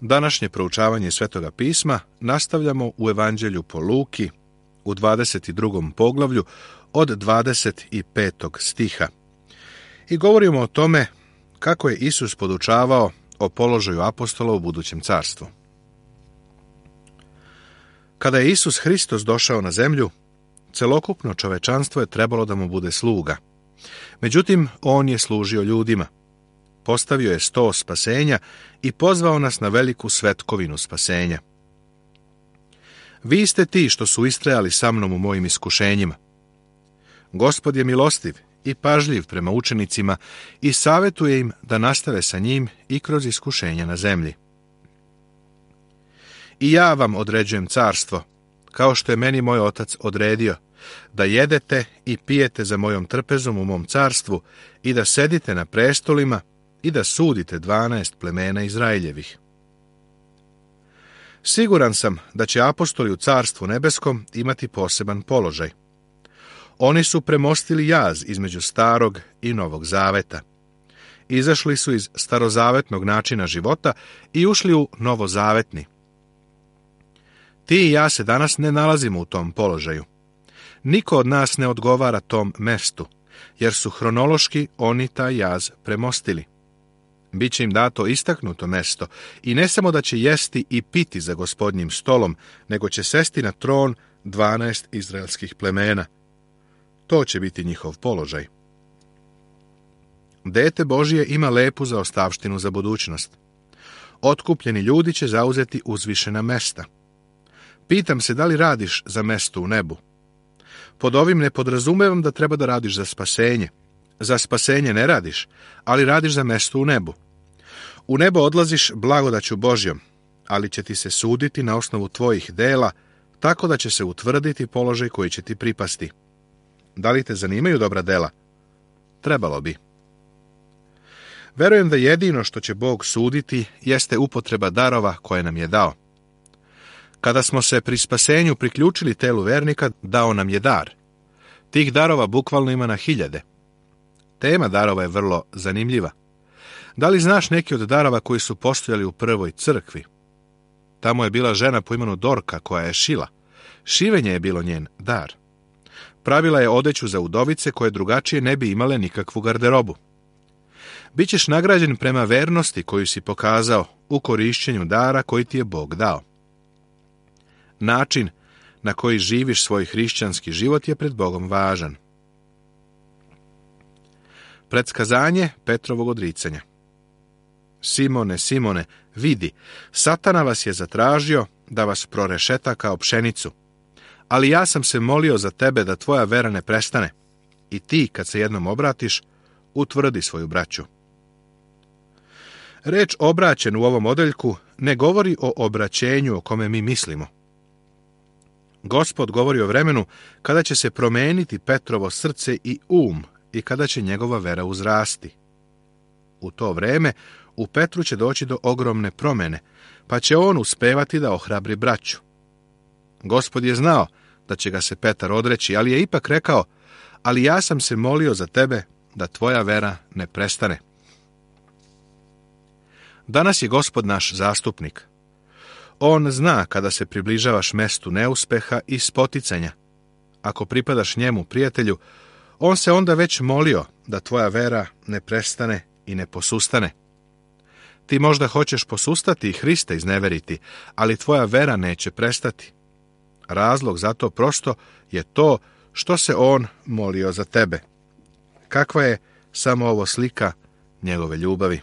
Današnje proučavanje Svetoga pisma nastavljamo u Evanđelju po Luki u 22. poglavlju od 25. stiha. I govorimo o tome kako je Isus podučavao o položaju apostola u budućem carstvu. Kada je Isus Hristos došao na zemlju, celokupno čovečanstvo je trebalo da mu bude sluga. Međutim, on je služio ljudima. Postavio je sto spasenja i pozvao nas na veliku svetkovinu spasenja. Vi ste ti što su istrajali sa mnom u mojim iskušenjima. Gospod je milostiv i pažljiv prema učenicima i savjetuje im da nastave sa njim i kroz iskušenja na zemlji. I ja vam određujem carstvo, kao što je meni moj otac odredio, da jedete i pijete za mojom trpezom u mom carstvu i da sedite na prestolima i da sudite 12 plemena Izraeljevih. Siguran sam da će apostoli u carstvu nebeskom imati poseban položaj. Oni su premostili jaz između starog i novog zaveta. Izašli su iz starozavetnog načina života i ušli u novozavetni. Ti i ja se danas ne nalazimo u tom položaju. Niko od nas ne odgovara tom mestu, jer su hronološki oni taj jaz premostili. Biće im dato istaknuto mesto i ne samo da će jesti i piti za Gospodnjim stolom, nego će sesti na tron 12 izraelskih plemena. To će biti njihov položaj. Dete Božije ima lepu zaostavštinu za budućnost. Otkupljeni ljudi će zauzeti uzvišena mesta. Pitam se da li radiš za mesto u nebu. Pod ovim ne podrazumevam da treba da radiš za spasenje. Za spasenje ne radiš, ali radiš za mesto u nebu. U nebo odlaziš blagodaću Božjom, ali će ti se suditi na osnovu tvojih dela, tako da će se utvrditi položaj koji će ti pripasti. Da li te zanimaju dobra dela? Trebalo bi. Verujem da jedino što će Bog suditi jeste upotreba darova koje nam je dao. Kada smo se pri spasenju priključili telu vernika, dao nam je dar. Tih darova bukvalno ima na hiljade. Tema darova je vrlo zanimljiva. Da li znaš neki od darova koji su postojali u prvoj crkvi? Tamo je bila žena po imenu Dorka koja je šila. Šivenje je bilo njen dar. Pravila je odeću za udovice koje drugačije ne bi imale nikakvu garderobu. Bićeš nagrađen prema vernosti koju si pokazao u korišćenju dara koji ti je Bog dao. Način na koji živiš svoj hrišćanski život je pred Bogom važan. Predskazanje Petrovog odricanja. Simone, Simone, vidi, Satana vas je zatražio da vas prorešeta kao pšenicu. Ali ja sam se molio za tebe da tvoja vera ne prestane. I ti, kad se jednom obratiš, utvrdi svoju braću. Reč obraćen u ovom odeljku ne govori o obraćenju o kome mi mislimo. Gospod govori o vremenu kada će se promeniti Petrovo srce i i kada će njegova vera uzrasti. U to vreme u Petru će doći do ogromne promene, pa će on uspevati da ohrabri braću. Gospod je znao da će ga se Petar odreći, ali je ipak rekao, ali ja sam se molio za tebe da tvoja vera ne prestane. Danas je Gospod naš zastupnik. On zna kada se približavaš mestu neuspeha i spoticanja. Ako pripadaš njemu, prijatelju, on se onda već molio da tvoja vera ne prestane i ne posustane. Ti možda hoćeš posustati i Hrista izneveriti, ali tvoja vera neće prestati. Razlog za to prosto je to što se on molio za tebe. Kakva je samo ovo slika njegove ljubavi?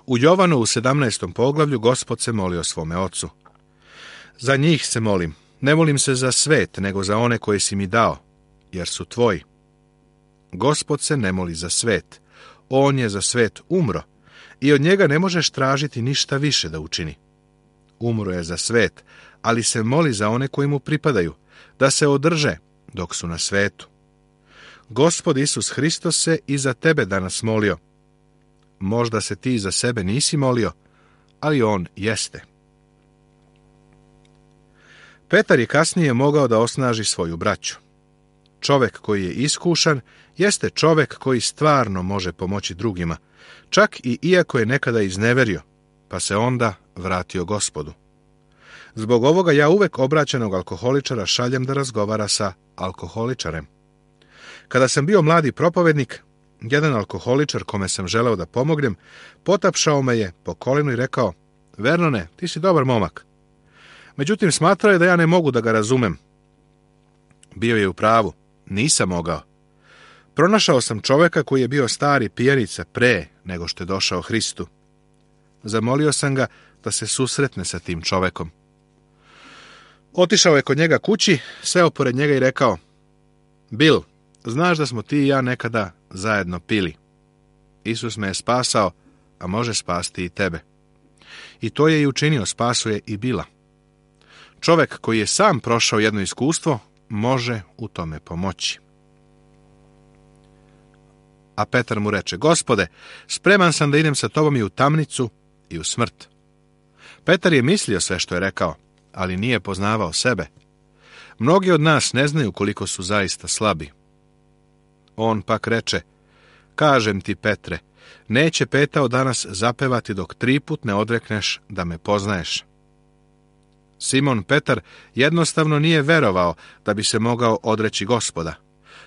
U Jovanu u 17. poglavlju Gospod se molio svome ocu. Za njih se molim, ne molim se za svet, nego za one koje si mi dao, jer su tvoji. Gospod se ne moli za svet, on je za svet umro i od njega ne možeš tražiti ništa više da učini. Umro je za svet, ali se moli za one koji mu pripadaju, da se održe dok su na svetu. Gospod Isus Hristos se i za tebe danas molio. Možda se ti za sebe nisi molio, ali on jeste. Petar je kasnije mogao da osnaži svoju braću. Čovek koji je iskušan jeste čovek koji stvarno može pomoći drugima, čak i iako je nekada izneverio, pa se onda vratio Gospodu. Zbog ovoga ja uvek obraćenog alkoholičara šaljem da razgovara sa alkoholičarem. Kada sam bio mladi propovednik, jedan alkoholičar kome sam želeo da pomognem, potapšao me je po kolenu i rekao: Vernone, ti si dobar momak. Međutim, smatrao je da ja ne mogu da ga razumem. Bio je u pravu, nisam mogao. Pronašao sam čoveka koji je bio stari pijanica pre nego što je došao Hristu. Zamolio sam ga da se susretne sa tim čovekom. Otišao je kod njega kući, seo pored njega i rekao: Bill, znaš da smo ti i ja nekada zajedno pili. Isus me je spasao, a može spasti i tebe. I to je i učinio, spasuje i Billa. Čovek koji je sam prošao jedno iskustvo, može u tome pomoći. A Petar mu reče: Gospode, spreman sam da idem sa tobom i u tamnicu i u smrt. Petar je mislio sve što je rekao, ali nije poznavao sebe. Mnogi od nas ne znaju koliko su zaista slabi. On pak reče: Kažem ti, Petre, neće petao danas zapevati dok 3 put ne odrekneš da me poznaješ. Simon Petar jednostavno nije verovao da bi se mogao odreći Gospoda,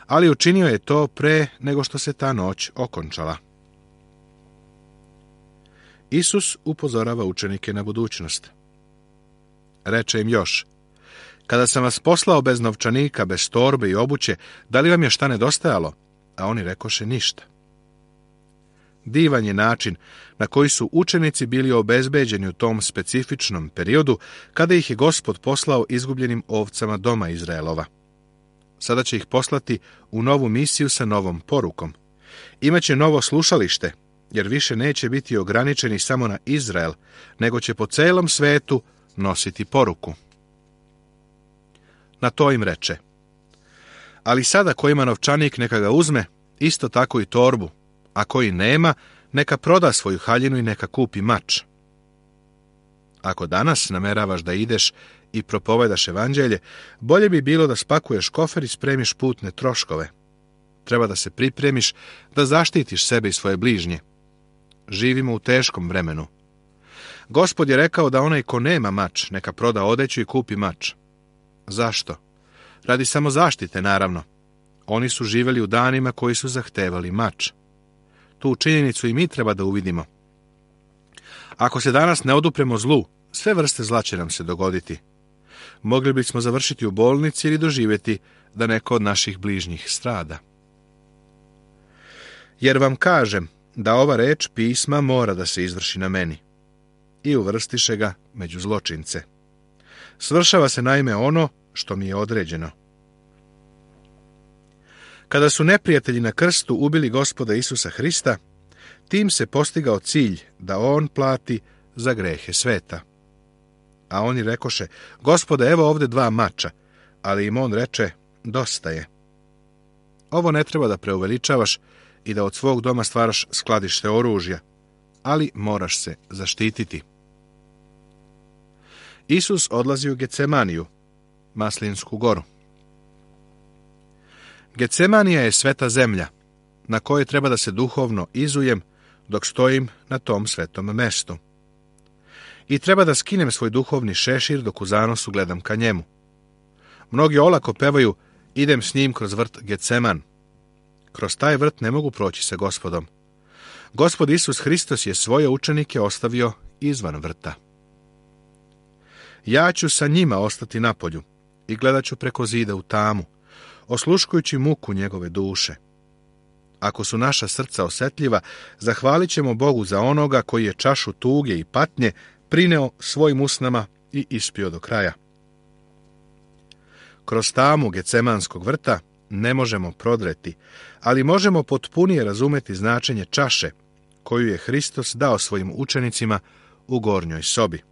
ali učinio je to pre nego što se ta noć okončala. Isus upozorava učenike na budućnost. Reče im još: Kada sam vas poslao bez novčanika, bez torbe i obuće, da li vam je šta nedostajalo? A oni rekoše: ništa. Divan je način na koji su učenici bili obezbeđeni u tom specifičnom periodu kada ih je Gospod poslao izgubljenim ovcama doma Izraelova. Sada će ih poslati u novu misiju sa novom porukom. Imaće novo slušalište, jer više neće biti ograničeni samo na Izrael, nego će po celom svetu nositi poruku. Na to im reče: Ali sada ko ima novčanik neka ga uzme, isto tako i torbu, a koji nema, neka proda svoju haljinu i neka kupi mač. Ako danas nameravaš da ideš i propovedaš evanđelje, bolje bi bilo da spakuješ kofer i spremiš putne troškove. Treba da se pripremiš da zaštitiš sebe i svoje bližnje. Živimo u teškom vremenu. Gospod je rekao da onaj ko nema mač, neka proda odeću i kupi mač. Zašto? Radi samo zaštite, naravno. Oni su živjeli u danima koji su zahtevali mač. Tu činjenicu i mi treba da uvidimo. Ako se danas ne odupremo zlu, sve vrste zla će nam se dogoditi. Mogli bismo završiti u bolnici ili doživjeti da neko od naših bližnjih strada. Jer vam kažem da ova reč pisma mora da se izvrši na meni. I uvrstiše ga među zločince. Svršava se naime ono što mi je određeno. Kada su neprijatelji na krstu ubili Gospoda Isusa Hrista, tim se postigao cilj da on plati za grehe sveta. A oni rekoše: Gospode, evo ovde 2 mača, ali im on reče: dosta je. Ovo ne treba da preuveličavaš i da od svog doma stvaraš skladište oružja, ali moraš se zaštititi. Isus odlazi u Gecemaniju, Maslinsku goru. Gecemanija je sveta zemlja, na kojoj treba da se duhovno izujem dok stojim na tom svetom mestu. I treba da skinem svoj duhovni šešir dok u zanosu gledam ka njemu. Mnogi olako pevaju: idem s njim kroz vrt Geceman. Kroz taj vrt ne mogu proći sa Gospodom. Gospod Isus Hristos je svoje učenike ostavio izvan vrta. Ja ću sa njima ostati napolju i gledat ću preko zida u tamu, osluškujući muku njegove duše. Ako su naša srca osetljiva, zahvalit ćemo Bogu za onoga koji je čašu tuge i patnje prineo svojim usnama i ispio do kraja. Kroz tamu Gecemanskog vrta ne možemo prodreti, ali možemo potpunije razumeti značenje čaše koju je Hristos dao svojim učenicima u gornjoj sobi.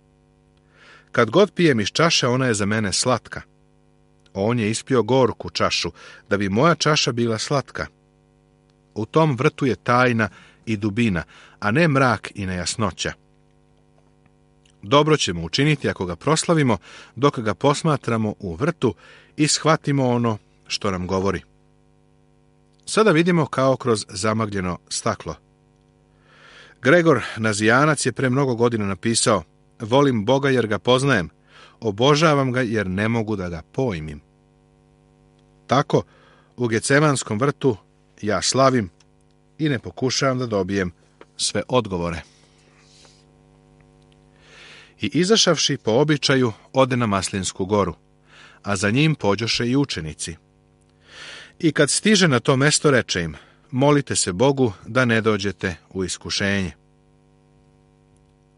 Kad god pijem iz čaše, ona je za mene slatka. On je ispio gorku čašu, da bi moja čaša bila slatka. U tom vrtu je tajna i dubina, a ne mrak i nejasnoća. Dobro ćemo učiniti ako ga proslavimo, dok ga posmatramo u vrtu i shvatimo ono što nam govori. sada vidimo kao kroz zamagljeno staklo. Gregor Nazijanac je pre mnogo godina napisao: volim Boga jer ga poznajem, obožavam ga jer ne mogu da ga pojmim. Tako, u Gecemanskom vrtu ja slavim i ne pokušavam da dobijem sve odgovore. I izašavši po običaju, ode na Maslinsku goru, a za njim pođoše i učenici. I kad stiže na to mesto, reče im: molite se Bogu da ne dođete u iskušenje.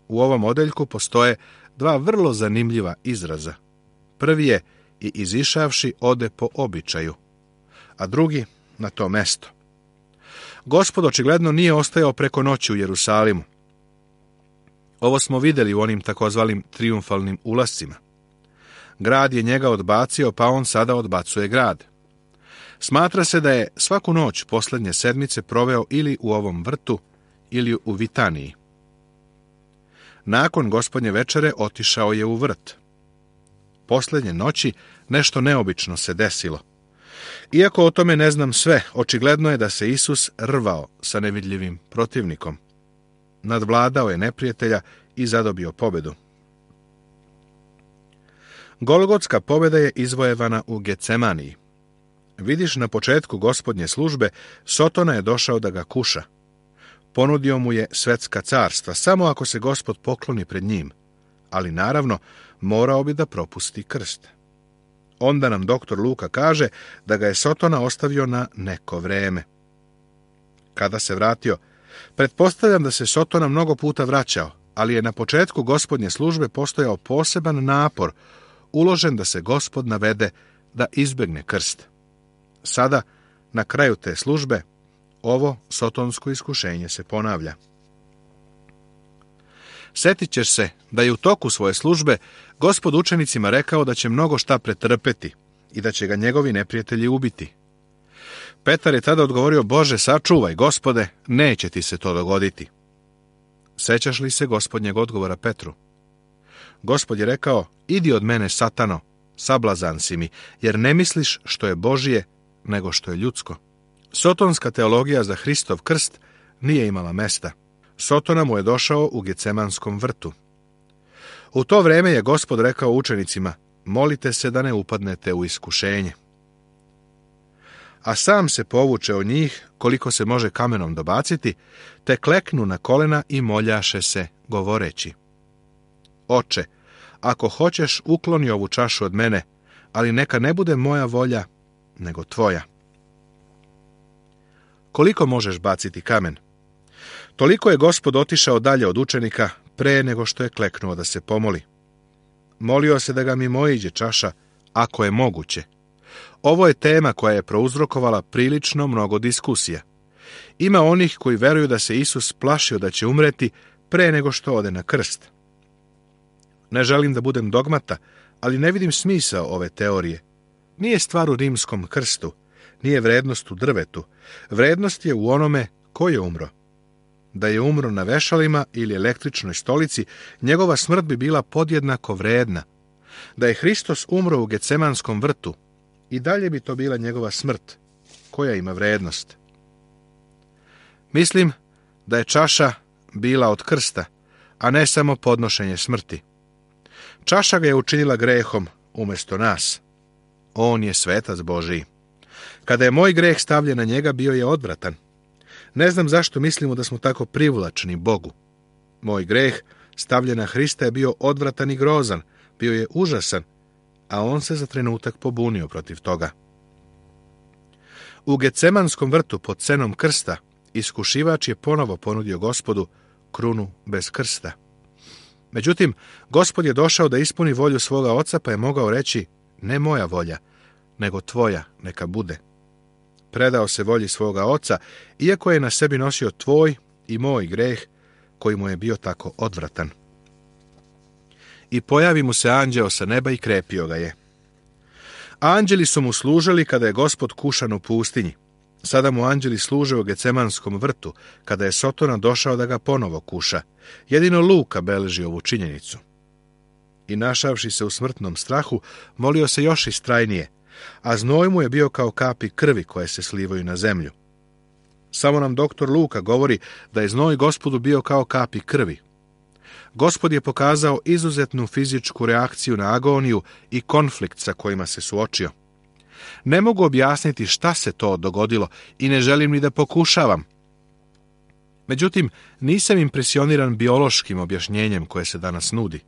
U ovom odeljku postoje dva vrlo zanimljiva izraza. Prvi je: i izišavši ode po običaju, a drugi: na to mesto. Gospod očigledno nije ostajao preko noći u Jerusalimu. Ovo smo vidjeli u onim takozvanim trijumfalnim ulascima. Grad je njega odbacio, pa on sada odbacuje grad. Smatra se da je svaku noć posljednje sedmice proveo ili u ovom vrtu, ili u Vitaniji. Nakon Gospodnje večere otišao je u vrt. Posljednje noći nešto neobično se desilo. Iako o tome ne znam sve, očigledno je da se Isus rvao sa nevidljivim protivnikom. Nadvladao je neprijatelja i zadobio pobedu. Golgotska pobjeda je izvojevana u Gecemaniji. Vidiš, na početku Gospodnje službe Sotona je došao da ga kuša. Ponudio mu je svetska carstva, samo ako se Gospod pokloni pred njim, ali naravno morao bi da propusti krst. Onda nam doktor Luka kaže da ga je Sotona ostavio na neko vreme. Kada se vratio, pretpostavljam da se Sotona mnogo puta vraćao, ali je na početku Gospodnje službe postojao poseban napor, uložen da se Gospod navede da izbegne krst. Sada, na kraju te službe, ovo sotonsko iskušenje se ponavlja. Sjetit ćeš se da je u toku svoje službe Gospod učenicima rekao da će mnogo šta pretrpeti i da će ga njegovi neprijatelji ubiti. Petar je tada odgovorio: Bože, sačuvaj, Gospode, neće ti se to dogoditi. Sećaš li se Gospodnjeg odgovora Petru? Gospod je rekao: idi od mene, Satano, sablazan si mi, jer ne misliš što je Božije, nego što je ljudsko. Sotonska teologija za Hristov krst nije imala mesta. Sotona mu je došao u Gecemanskom vrtu. U to vrijeme je Gospod rekao učenicima: molite se da ne upadnete u iskušenje. A sam se povuče od njih koliko se može kamenom dobaciti, te kleknu na kolena i moljaše se, govoreći: Oče, ako hoćeš, ukloni ovu čašu od mene, ali neka ne bude moja volja, nego tvoja. Koliko možeš baciti kamen? Toliko je Gospod otišao dalje od učenika pre nego što je kleknuo da se pomoli. Molio se da ga mimoiđe čaša, ako je moguće. Ovo je tema koja je prouzrokovala prilično mnogo diskusija. Ima onih koji veruju da se Isus plašio da će umreti pre nego što ode na krst. Ne želim da budem dogmata, ali ne vidim smisao ove teorije. Nije stvar u rimskom krstu, nije vrednost u drvetu. Vrednost je u onome ko je umro. Da je umro na vešalima ili električnoj stolici, njegova smrt bi bila podjednako vredna. Da je Hristos umro u Gecemanskom vrtu, i dalje bi to bila njegova smrt, koja ima vrednost. Mislim da je čaša bila od krsta, a ne samo podnošenje smrti. Čaša ga je učinila grehom umjesto nas. On je svetac Božiji. Kada je moj greh stavljen na njega, bio je odvratan. Ne znam zašto mislimo da smo tako privlačni Bogu. Moj greh stavljen na Hrista je bio odvratan i grozan, bio je užasan, a on se za trenutak pobunio protiv toga. U Gecemanskom vrtu pod cenom krsta iskušivač je ponovo ponudio Gospodu krunu bez krsta. Međutim, Gospod je došao da ispuni volju svoga oca, pa je mogao reći: ne moja volja, nego tvoja neka bude. Predao se volji svoga oca, iako je na sebi nosio tvoj i moj greh, koji mu je bio tako odvratan. I pojavi mu se anđeo sa neba i krepio ga je. Anđeli su mu služili kada je Gospod kušan u pustinji. Sada mu anđeli služe u Gecemanskom vrtu, kada je Sotona došao da ga ponovo kuša. Jedino Luka beleži ovu činjenicu. I našavši se u smrtnom strahu, molio se još istrajnije: a znoj mu je bio kao kapi krvi koje se slivaju na zemlju. Samo nam doktor Luka govori da je znoj Gospodu bio kao kapi krvi. Gospod je pokazao izuzetnu fizičku reakciju na agoniju i konflikt sa kojima se suočio. Ne mogu objasniti šta se to dogodilo i ne želim ni da pokušavam. Međutim, nisam impresioniran biološkim objašnjenjem koje se danas nudi.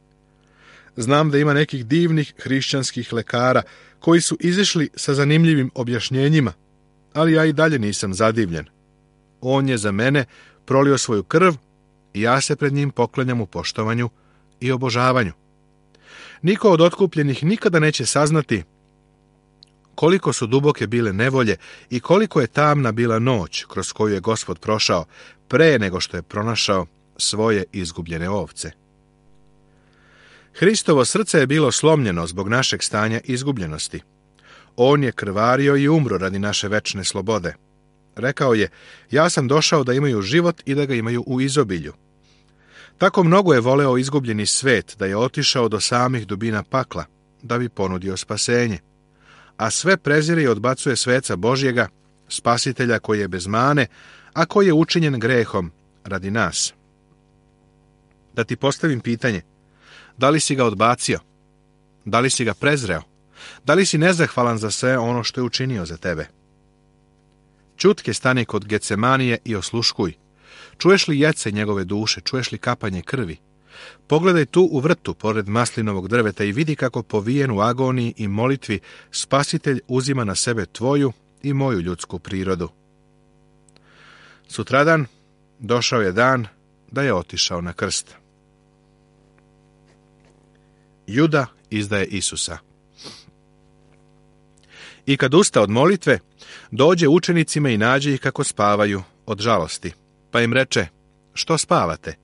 Znam da ima nekih divnih hrišćanskih lekara koji su izišli sa zanimljivim objašnjenjima, ali ja i dalje nisam zadivljen. On je za mene prolio svoju krv i ja se pred njim poklanjam u poštovanju i obožavanju. Niko od otkupljenih nikada neće saznati koliko su duboke bile nevolje i koliko je tamna bila noć kroz koju je Gospod prošao pre nego što je pronašao svoje izgubljene ovce. Hristovo srce je bilo slomljeno zbog našeg stanja izgubljenosti. On je krvario i umro radi naše večne slobode. Rekao je, ja sam došao da imaju život i da ga imaju u izobilju. Tako mnogo je voleo izgubljeni svet da je otišao do samih dubina pakla, da bi ponudio spasenje. A sve prezire i odbacuje sveca Božjega, spasitelja koji je bez mane, a koji je učinjen grehom radi nas. Da ti postavim pitanje, da li si ga odbacio? Da li si ga prezreo? Da li si nezahvalan za sve ono što je učinio za tebe? Ćutke stani kod Getsemanije i osluškuj. Čuješ li jece njegove duše, čuješ li kapanje krvi? Pogledaj tu u vrtu, pored maslinovog drveta i vidi kako povijen u agoniji i molitvi Spasitelj uzima na sebe tvoju i moju ljudsku prirodu. Sutradan došao je dan da je otišao na krst. Juda izdaje Isusa. I kad usta od molitve, dođe učenicima i nađe ih kako spavaju od žalosti. Pa im reče, što spavate?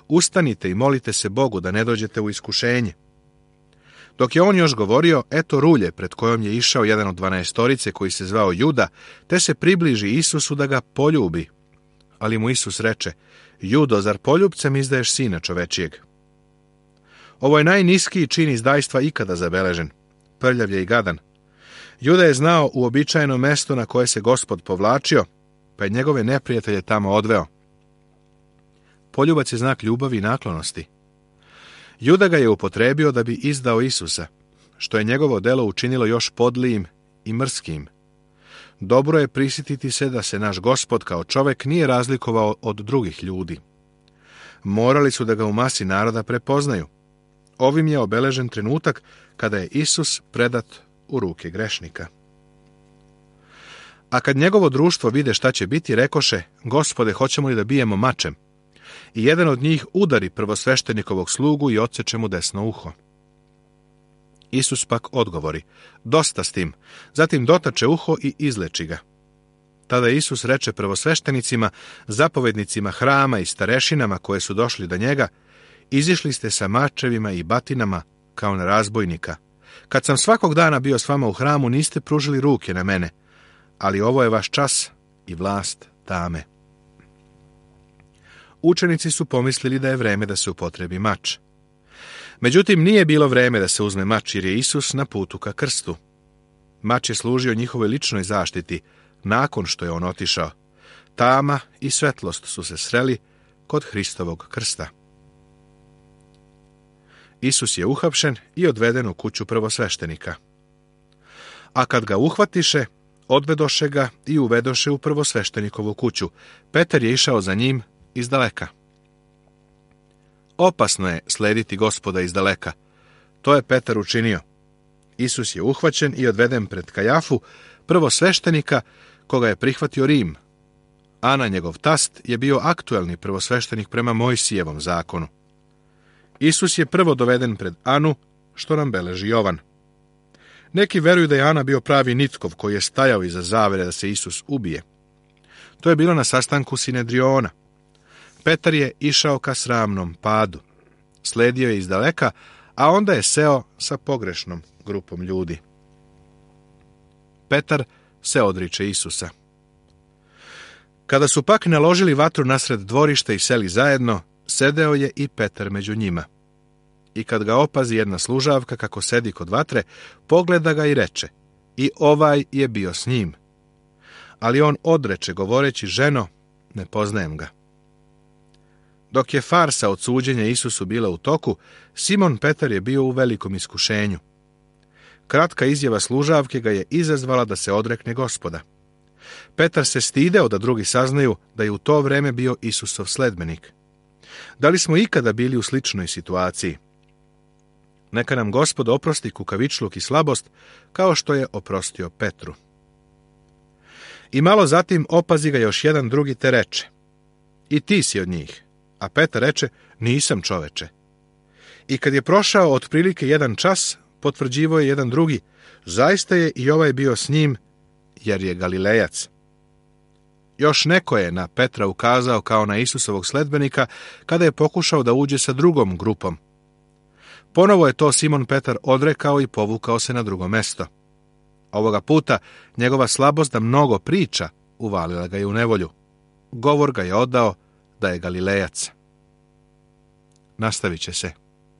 Ustanite i molite se Bogu da ne dođete u iskušenje. Dok je on još govorio, eto rulje pred kojom je išao jedan od 12 koji se zvao Juda, te se približi Isusu da ga poljubi. Ali mu Isus reče, Judo, zar poljubcem izdaješ sina čovečijeg? Ovo je najniskiji čin izdajstva ikada zabeležen. Prljav je i gadan. Juda je znao uobičajeno mesto na koje se Gospod povlačio, pa je njegove neprijatelje tamo odveo. Poljubac je znak ljubavi i naklonosti. Juda ga je upotrebio da bi izdao Isusa, što je njegovo delo učinilo još podlijim i mrskim. Dobro je prisjetiti se da se naš Gospod kao čovek nije razlikovao od drugih ljudi. Morali su da ga u masi naroda prepoznaju. Ovim je obeležen trenutak kada je Isus predat u ruke grešnika. A kad njegovo društvo vide šta će biti, rekoše, Gospode, hoćemo li da bijemo mačem? I jedan od njih udari prvosveštenikovog slugu i odseče mu desno uho. Isus pak odgovori, dosta s tim, zatim dotače uho i izleči ga. Tada Isus reče prvosveštenicima, zapovednicima hrama i starešinama koje su došli do njega, izišli ste sa mačevima i batinama kao na razbojnika. Kad sam svakog dana bio s vama u hramu, niste pružili ruke na mene, ali ovo je vaš čas i vlast tame. Učenici su pomislili da je vreme da se upotrebi mač. Međutim, nije bilo vreme da se uzme mač jer je Isus na putu ka krstu. Mač je služio njihovoj ličnoj zaštiti nakon što je on otišao. Tama i svetlost su se sreli kod Hristovog krsta. Isus je uhapšen i odveden u kuću prvosveštenika. A kad ga uhvatiše, odvedoše ga i uvedoše u prvosveštenikovu kuću. Petar je išao za njim iz daleka. Opasno je slediti Gospoda iz daleka. To je Petar učinio. Isus je uhvaćen i odveden pred Kajafu, prvosveštenika, koga je prihvatio Rim. Ana, njegov tast, je bio aktuelni prvosveštenik prema Mojsijevom zakonu. Isus je prvo doveden pred Anu, što nam beleži Jovan. Neki veruju da je Ana bio pravi Nitkov koji je stajao iza zavere da se Isus ubije. To je bilo na sastanku Sinedriona. Petar je išao ka sramnom padu. Sledio je iz daleka, a onda je seo sa pogrešnom grupom ljudi. Petar se odriče Isusa. Kada su pak naložili vatru nasred dvorišta i seli zajedno, sedeo je i Petar među njima. I kad ga opazi jedna služavka kako sedi kod vatre, pogleda ga i reče, i ovaj je bio s njim. Ali on odreče, govoreći: ženo, ne poznajem ga. Dok je farsa od suđenja Isusu bila u toku, Simon Petar je bio u velikom iskušenju. Kratka izjava služavke ga je izazvala da se odrekne Gospoda. Petar se stideo da drugi saznaju da je u to vreme bio Isusov sledbenik. Da li smo ikada bili u sličnoj situaciji? Neka nam Gospod oprosti kukavičluk i slabost, kao što je oprostio Petru. I malo zatim opazi ga još jedan drugi te reče: i ti si od njih. A Petar reče: nisam, čoveče. I kad je prošao otprilike 1 čas, potvrđivao je jedan drugi: zaista je i ovaj bio s njim, jer je Galilejac. Još neko je na Petra ukazao kao na Isusovog sledbenika kada je pokušao da uđe sa drugom grupom. Ponovo je to Simon Petar odrekao i povukao se na drugo mesto. Ovoga puta njegova slabost da mnogo priča uvalila ga je u nevolju. Govor ga je odao da je Galilejac. Nastavit će se.